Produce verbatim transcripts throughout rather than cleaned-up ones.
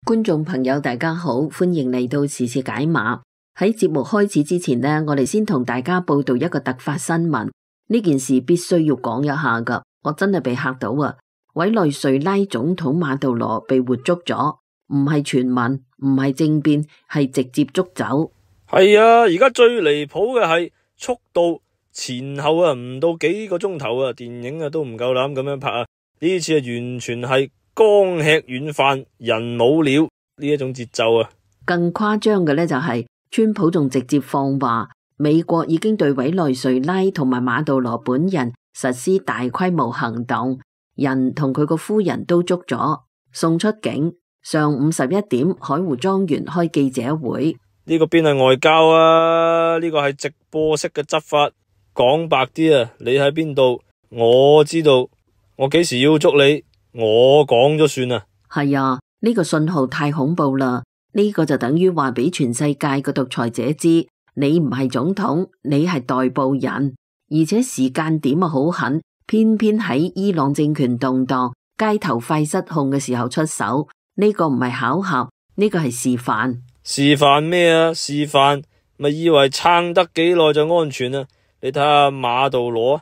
觀眾朋友大家好，歡迎嚟到時事解碼。喺節目開始之前呢，我哋先同大家報道一個突發新聞。呢件事必須要講一下噶，我真係被嚇到啊！委內瑞拉總統馬杜羅被活捉咗，唔係傳聞，唔係政變，係直接捉走。係啊，而家最離譜嘅係速度前後啊，唔到幾個鐘頭啊，電影啊都唔夠膽咁樣拍啊！呢次啊完全係剛吃軟飯人冇料呢一種節奏啊！更誇張嘅呢就係川普仲直接放話，美國已經對委內瑞拉同埋馬杜羅本人實施大規模行動，人同佢個夫人都捉咗，送出境。上午十一點，海湖莊園開記者會。呢個邊係外交啊？呢個係直播式嘅執法。講白啲啊，你喺邊度？我知道，我幾時要捉你？我講咗算啊。係啊，呢個信號太恐怖啦！呢個就等於話俾全世界嘅獨裁者知，你唔係總統，你係代步人，而且時間點啊好狠，偏偏喺伊朗政權動盪、街頭快失控嘅時候出手。呢個唔係巧合，呢個係示範。示範咩啊？示範咪以為撐得幾耐就安全啊？你睇下馬杜羅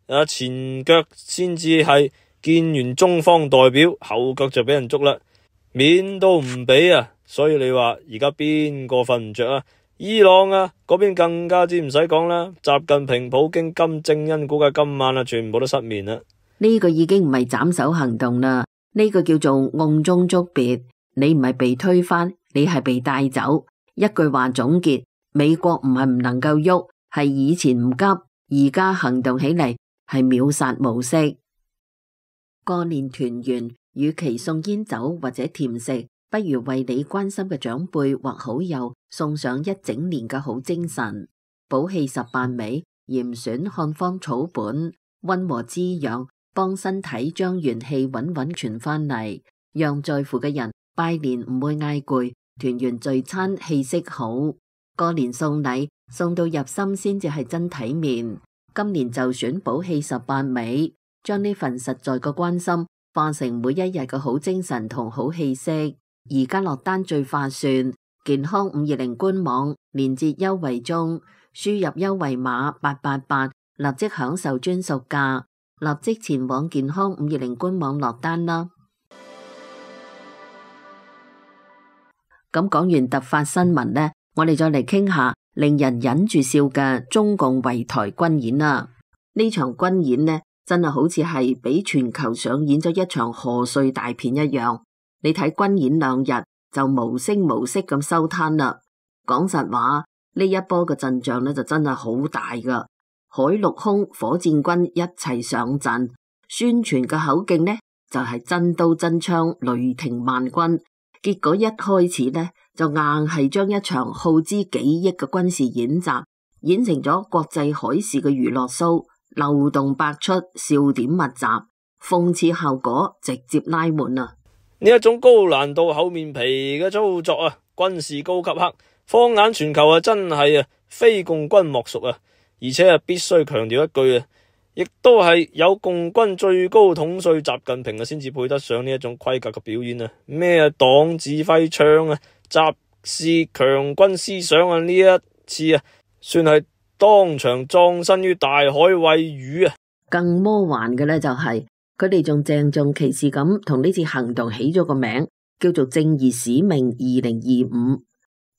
啊，前腳先至係見完中方代表，後腳就俾人捉啦，面都唔俾啊！所以你話而家邊個瞓唔着啊？伊朗啊嗰邊更加之唔使講啦，習近平、普京、金正恩估計今晚啊全部都失眠啦。呢個已經唔係斬首行動啦。呢個叫做甕中捉鱉，你唔係被推翻，你係被帶走。一句話總結，美國唔係唔能夠喐，係以前唔急，而家行動起嚟係秒殺模式。過年團圓，與其送煙酒或者甜食，不如為你關心嘅長輩或好友送上一整年嘅好精神。補氣十八味，嚴選漢方草本，溫和滋養，幫身體將元氣穩穩傳返嚟，讓在乎嘅人拜年唔會嗌攰，團圓聚餐氣息好。過年送禮送到入心先至係真體面。今年就選補氣十八味，將呢份實在嘅關心化成每一日嘅好精神同好氣息。而家落單最划算，健康五二零官網連結優惠中，輸入優惠碼八八八，立即享受專屬價。立即前往健康五二零官網落單啦！咁講完突發新聞呢，我哋再嚟傾下令人忍住笑嘅中共圍台軍演啦。呢場軍演呢，真係好似係俾全球上演咗一場賀歲大片一樣。你睇軍演兩日就無聲無息咁收攤啦。講實話，呢一波嘅陣仗呢，就真係好大噶。海陸空火箭軍一齊上陣，宣傳嘅口徑呢就係真刀真槍，雷霆萬鈞。結果一開始呢就硬係將一場耗資幾億嘅軍事演習演成咗國際海事嘅娛樂 show，漏洞百出，笑點密集，諷刺效果直接拉滿啊！呢一種高難度厚面皮嘅操作啊，軍事高級黑，放眼全球啊，真係啊非共軍莫屬啊！而且啊，必須強調一句啊，亦都係有共軍最高統帥習近平啊，先至配得上呢一種規格嘅表演啊！咩啊黨指揮槍啊，習氏強軍思想啊，呢一次啊，算係當場葬身於大海餵魚啊！更魔幻嘅呢，就係佢哋仲鄭重其事咁同呢次行動起咗個名，叫做正義使命二零二五。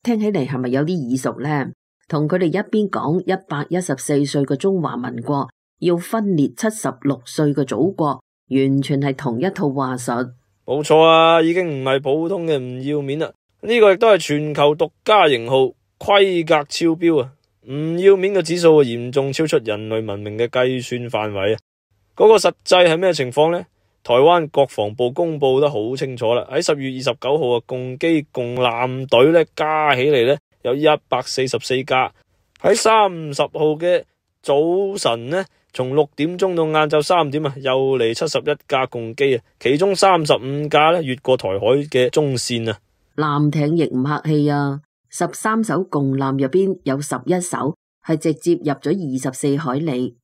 聽起嚟係咪有啲耳熟呢？同佢哋一邊講一百一十四歲嘅中華民國要分裂七十六歲嘅祖國，完全係同一套話術。冇錯啊，已經唔係普通嘅唔要面啦，呢個亦都係全球獨家型號，規格超標啊！唔要面嘅指數嚴重超出人類文明嘅計算範圍啊！嗰個實際係咩情況呢？台灣國防部公布得好清楚啦，喺十月二十九號啊，共機共艦隊咧加起嚟咧有一百四十四架。喺三十號嘅早晨呢，從六點鐘到晏晝三點啊，又嚟七十一架共機啊，其中三十五架咧越過台海嘅中線啊。艦艇亦唔客氣啊，十三艘共艦入邊有十一艘係直接入咗二十四海里，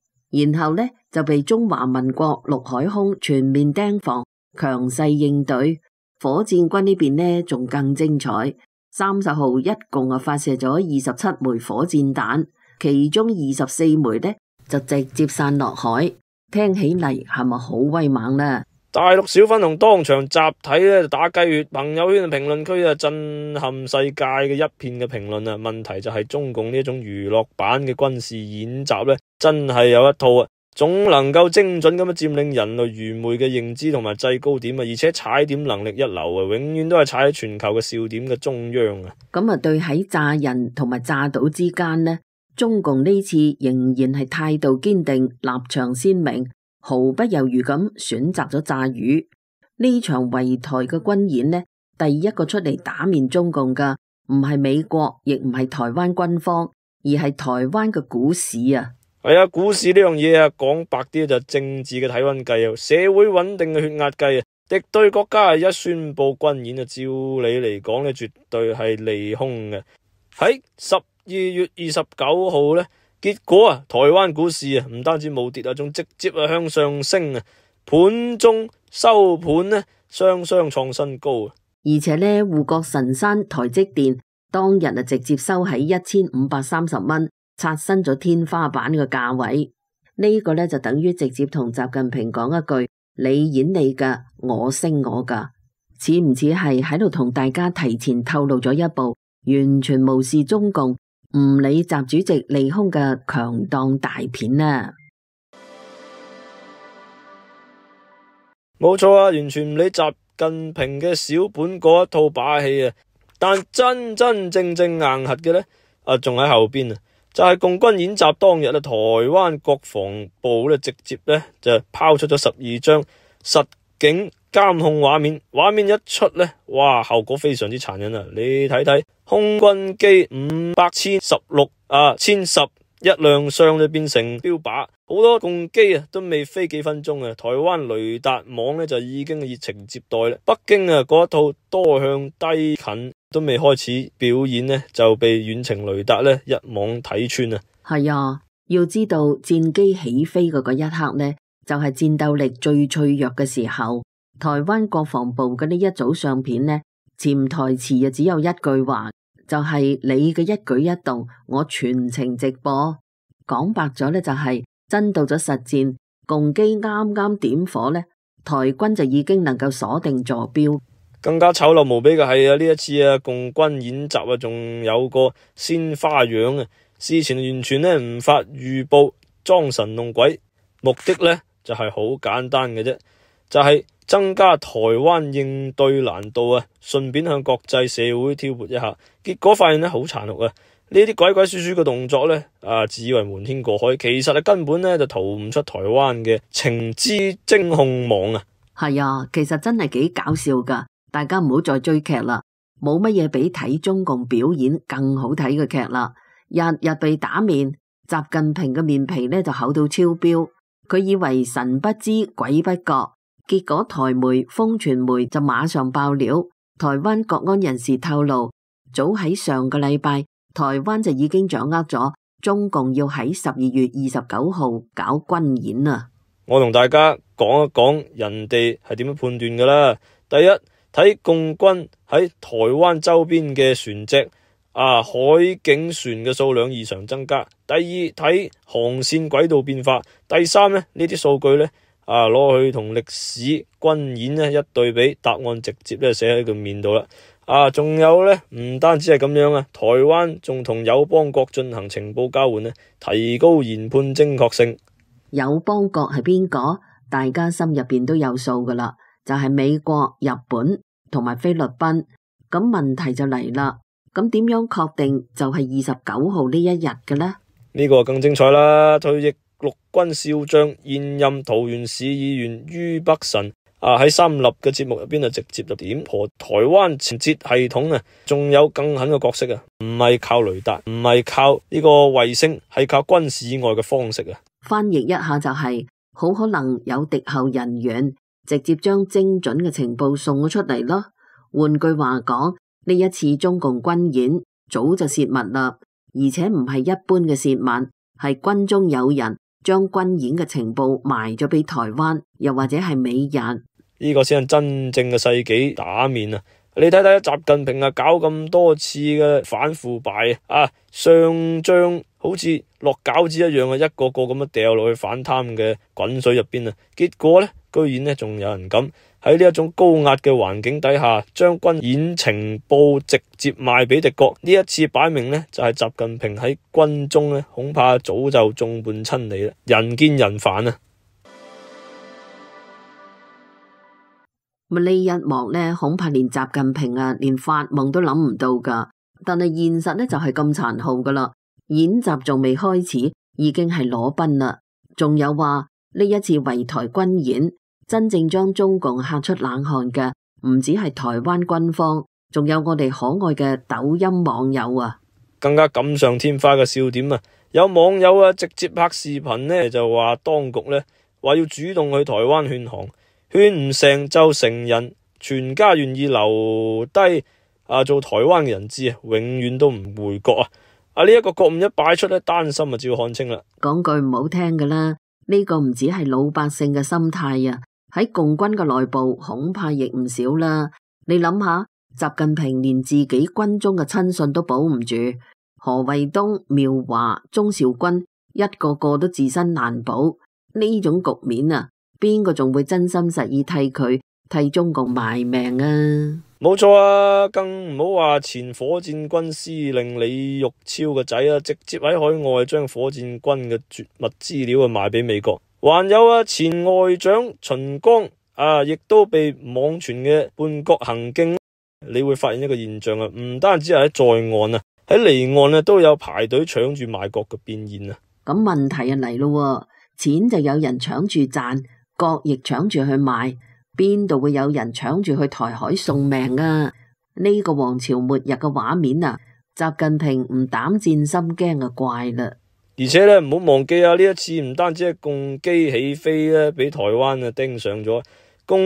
然後呢就被中華民國陸海空全面盯防，強勢應對。火箭軍呢邊呢仲更精彩，三十號一共啊發射咗二十七枚火箭彈，其中二十四枚呢就直接散落海，聽起嚟係咪好威猛呢？大陸小粉紅當場集體咧打雞血，朋友圈評論區啊震撼世界嘅一片嘅評論啊。問題就係中共呢種娛樂版嘅軍事演習咧，真係有一套啊，總能夠精準咁樣佔領人類愚昧嘅認知同埋制高點啊，而且踩點能力一流啊，永遠都係踩喺全球嘅笑點嘅中央啊。咁啊，對喺炸人同埋炸島之間呢，中共呢次仍然係態度堅定，立場鮮明。毫不猶豫咁選擇咗炸魚。呢場圍台嘅軍演呢，第一個出嚟打面中共嘅唔係美國，亦唔係台灣軍方，而係台灣嘅股市啊。係啊，股市呢樣嘢啊，講白啲就政治嘅體溫計啊，社會穩定嘅血壓計啊。敵對國家係一宣布軍演啊，照理嚟講咧，絕對係利空嘅。喺十二月二十九號呢。結果啊，台灣股市啊，唔單止冇跌啊，仲直接啊向上升啊，盤中收盤呢，雙雙創新高啊！而且呢，護國神山台積電當日啊，直接收喺一千五百三十蚊，刷新咗天花板嘅價位。呢、這個呢，就等於直接同習近平講一句：你演你噶，我升我噶，似唔似係喺度同大家提前透露咗一步，完全無視中共？唔理習主席利空嘅強檔大片啊！冇錯啊，完全唔理習近平嘅小本嗰一套把戲啊！但真真正正硬核嘅呢，啊，仲喺後邊啊！就係、是、共軍演習當日啊，台灣國防部咧直接咧就拋出咗十二張實景監控畫面，畫面一出呢，哇，效果非常之殘忍啊！你睇睇空軍機五百千十六啊，千十一亮相就變成標靶，好多共機啊都未飛幾分鐘啊，台灣雷達網呢就已經熱情接待啦。北京啊嗰一套多向低近都未開始表演呢，就被遠程雷達呢一網睇穿啊！係啊，要知道戰機起飛嘅嗰一刻呢，就係、是、戰鬥力最脆弱嘅時候。台灣國防部嘅呢一組相片呢，潛台詞啊只有一句話，就係、是、你嘅一舉一動，我全程直播。講白咗呢，就係、是、真到咗實戰，共機啱啱點火呢，台軍就已經能夠鎖定坐標。更加醜陋無比嘅係啊，呢一次啊共軍演習啊，仲有個鮮花樣啊，事前完全呢唔發預報，裝神弄鬼，目的呢就係、是、好簡單嘅啫，就係、是。增加台灣應對難度啊，順便向國際社會挑撥一下，結果發現咧好殘酷啊！呢啲鬼鬼祟祟嘅動作咧，啊自以為瞞天過海，其實啊根本咧就逃唔出台灣嘅情資偵控網啊！係啊，其實真係幾搞笑噶，大家唔好再追劇啦，冇乜嘢比睇中共表演更好睇嘅劇啦！日日被打面，習近平嘅面皮咧就厚到超標，佢以為神不知鬼不覺。結果台媒、風傳媒就馬上爆料，台灣國安人士透露，早喺上個禮拜，台灣就已經掌握咗中共要喺十二月二十九號搞軍演啊！我同大家講一講人哋係點樣判斷噶啦。第一，睇共軍喺台灣周邊嘅船隻啊，海警船嘅數量異常增加。第二，睇航線軌道變化。第三呢，呢啲數據呢。啊！攞去同歷史軍演咧一對比，答案直接咧寫喺佢面度啦。啊，仲有咧，唔單止係咁樣啊，台灣仲同友邦國進行情報交換咧，提高研判精確性。友邦國係邊個？大家心入邊都有數噶啦，就係美國、日本同埋菲律賓。咁問題就嚟啦，咁點樣確定就係二十九號呢一日嘅呢？呢個更精彩啦！退役陸軍少將、現任桃園市議員于北辰啊，喺三立嘅節目入邊啊，直接就點破台灣情報系統啊，仲有更狠嘅角色啊，唔係靠雷達，唔係靠呢個衛星，係靠軍事以外嘅方式啊。翻譯一下就係、是，好可能有敵後人員直接將精準嘅情報送咗出嚟咯。換句話講，呢一次中共軍演早就洩密啦，而且唔係一般嘅洩密，係軍中有人將軍演嘅情報賣咗俾台灣，又或者係美日，呢個先係真正嘅世紀打面啊！你睇睇習近平啊，搞咁多次嘅反腐敗啊，上將好似落餃子一樣啊，一個個咁樣掉落去反貪嘅滾水入邊啊，結果呢，居然呢仲有人敢喺呢一種高壓嘅環境底下，將軍演情報直接賣俾敵國。呢一次擺明呢，就係習近平喺軍中呢，恐怕早就眾叛親離啦，人見人煩啊！咁呢一幕呢，恐怕連習近平啊，連發夢都諗唔到噶。但係現實呢，就係咁殘酷噶啦，演習仲未開始，已經係裸奔啦。仲有話呢一次圍台軍演，真正將中共嚇出冷汗嘅，唔止係台灣軍方，仲有我哋可愛嘅抖音網友啊！更加錦上添花嘅笑點啊！有網友啊直接拍視頻呢，就話當局呢話要主動去台灣勸降。勸唔成就成人，全家願意留低啊做台灣嘅人質啊，永遠都唔回國啊！啊呢一個覺悟一擺出咧，丹心啊，就要看清啦。講句唔好聽嘅啦，呢個唔止係老百姓嘅心態啊，喺共軍嘅內部恐怕亦唔少啦。你諗下，習近平連自己軍中嘅親信都保唔住，何衛東、苗華、鍾兆軍一個個都自身難保，呢種局面啊！邊個仲會真心實意替佢替中共賣命啊？冇錯啊，更唔好話前火箭軍司令李玉超個仔啊，直接喺海外將火箭軍嘅絕密資料啊賣俾美國。還有啊，前外長秦剛啊，亦都被網傳嘅叛國行徑。你會發現一個現象啊，唔單止係喺在岸啊，喺離岸啊都有排隊搶住賣國嘅變現啊。咁問題啊嚟咯，錢就有人搶住賺。國亦搶住去賣，邊度會有人搶住去台海送命啊？呢個王朝末日嘅畫面啊，習近平唔膽戰心驚啊，怪啦！而且咧，唔好忘記啊，呢一次唔單止係共機起飛咧，俾台灣啊盯上咗，共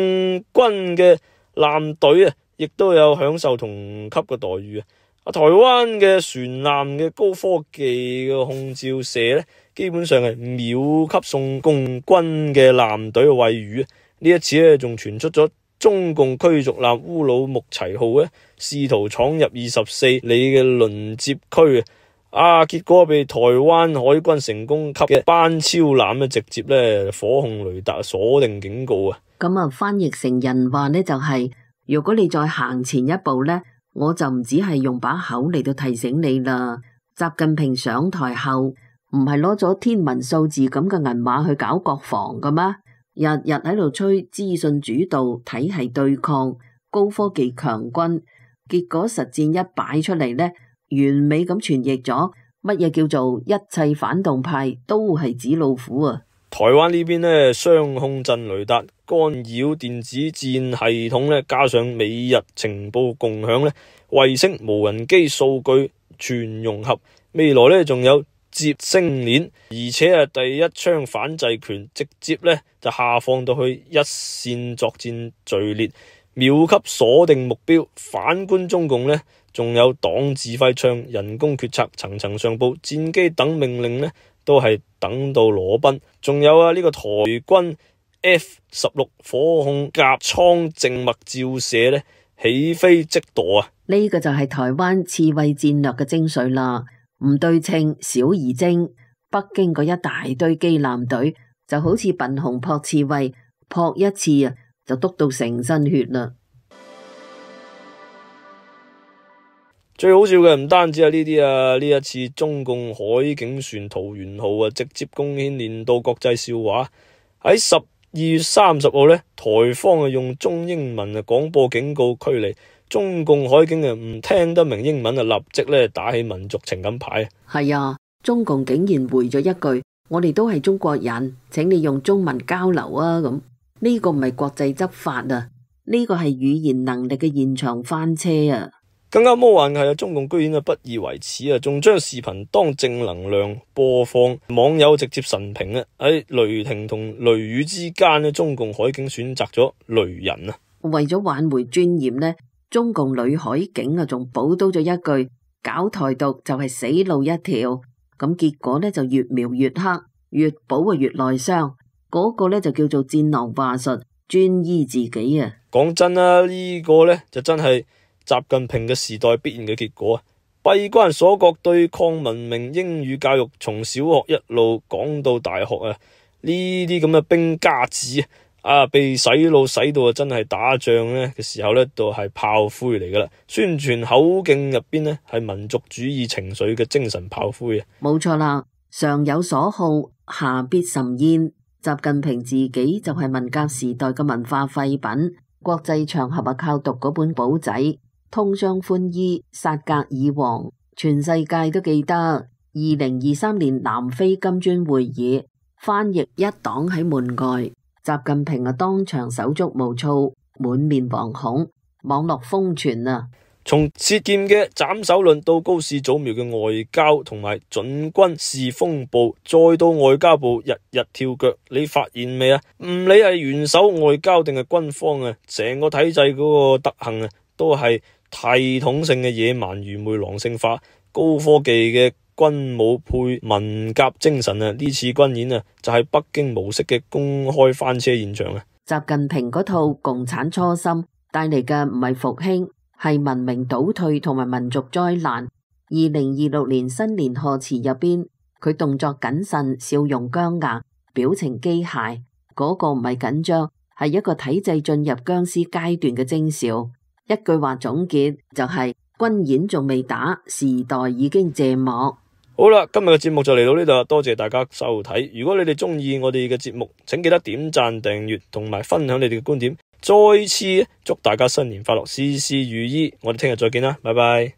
軍嘅艦隊啊，亦都有享受同級嘅待遇啊！啊，台灣嘅船艦嘅高科技嘅空照射咧，基本上係秒級送共軍嘅艦隊嘅餵魚。呢一次咧，仲傳出咗中共驅逐艦烏魯木齊號咧，試圖闖入二十四里嘅輪接區啊！結果被台灣海軍成功級嘅班超艦咧，直接咧火控雷達鎖定警告啊！咁啊，翻譯成人話呢，就係、是、如果你再行前一步呢，我就唔止係用把口嚟到提醒你啦。習近平上台後唔係攞咗天文數字咁嘅銀碼去搞國防㗎咩？日日喺度吹資訊主導、體系對抗、高科技強軍，結果實戰一擺出嚟呢，完美咁傳譯咗乜嘢叫做一切反動派都係紙老虎啊！台灣呢邊呢，雙控陣雷達干擾電子戰系統呢，加上美日情報共享呢，衛星無人機數據全融合，未來呢仲有接星鏈，而且啊第一槍反制權直接呢就下放到去一線作戰序列，秒級鎖定目標。反觀中共呢，仲有黨指揮槍、人工決策、層層上報、戰機等命令呢，都係等到裸奔。仲有啊呢、這個台軍 F 十六火控甲艙靜脈照射呢，起飛即墮啊！呢個就係台灣刺蝟戰略嘅精髓啦。唔對稱，小而精。北京嗰一大堆機艦隊就好似笨熊撲刺蝟，撲一次啊就篤到成身血啦。最好笑嘅唔單止係呢啲啊，呢一次中共海警船桃園號啊，直接貢獻年度國際笑話。喺十二月三十號呢，台方啊用中英文啊廣播警告驅離。中共海警啊唔聽得明英文啊，立即咧打起民族情感牌。係啊，中共竟然回咗一句：我哋都係中國人，請你用中文交流啊！咁呢個唔係國際執法啊，呢個係語言能力嘅現場翻車啊！更加魔幻嘅係啊，中共居然啊不以為恥啊，仲將視頻當正能量播放，網友直接神評啊！喺雷霆同雷雨之間呢，中共海警選擇咗雷人啊！為咗挽回尊嚴呢，中共女海警啊，仲補刀咗一句：搞台獨就係死路一條。咁結果呢就越描越黑，越補啊越內傷。嗰、那個呢就叫做戰狼話術，專醫自己啊。講真啦，呢、這個呢就真係習近平嘅時代必然嘅結果啊！閉關鎖國對抗文明，英語教育從小學一路講到大學啊！呢啲咁嘅兵家子啊，被洗腦洗到啊，真係打仗呢嘅時候呢，都係炮灰嚟噶啦！宣傳口徑入邊呢，係民族主義情緒嘅精神炮灰啊！冇錯啦，上有所好，下必甚焉。習近平自己就係文革時代嘅文化廢品，國際場合啊靠讀嗰本簿仔，通商寬衣，殺格爾王，全世界都記得。二零二三年南非金磚會議，翻譯一黨喺門外，習近平啊當場手足無措，滿面惶恐，網絡瘋傳啊！從舌劍嘅斬首論到高市早苗嘅外交同埋準軍事風暴，再到外交部日日跳腳，你發現未啊？唔理係元首外交定係軍方啊，成個體制嗰個德行啊，都係系統性嘅野蠻愚昧狼性化，高科技嘅軍武配文革精神啊！呢次軍演啊，就係北京模式嘅公開翻車現場啊！習近平嗰套共產初心帶嚟嘅唔係復興，係文明倒退同埋民族災難。二零二六年新年賀詞入邊，佢動作謹慎，笑容僵硬，表情機械，嗰、那個唔係緊張，係一個體制進入僵屍階段嘅徵兆。一句話總結就係、是、軍演仲未打，時代已經謝幕。好啦，今日嘅節目就嚟到呢度，多謝大家收睇。如果你哋中意我哋嘅節目，請記得點讚、訂閱同埋分享你哋嘅觀點。再次祝大家新年快樂，事事如意。我哋聽日再見啦，拜拜。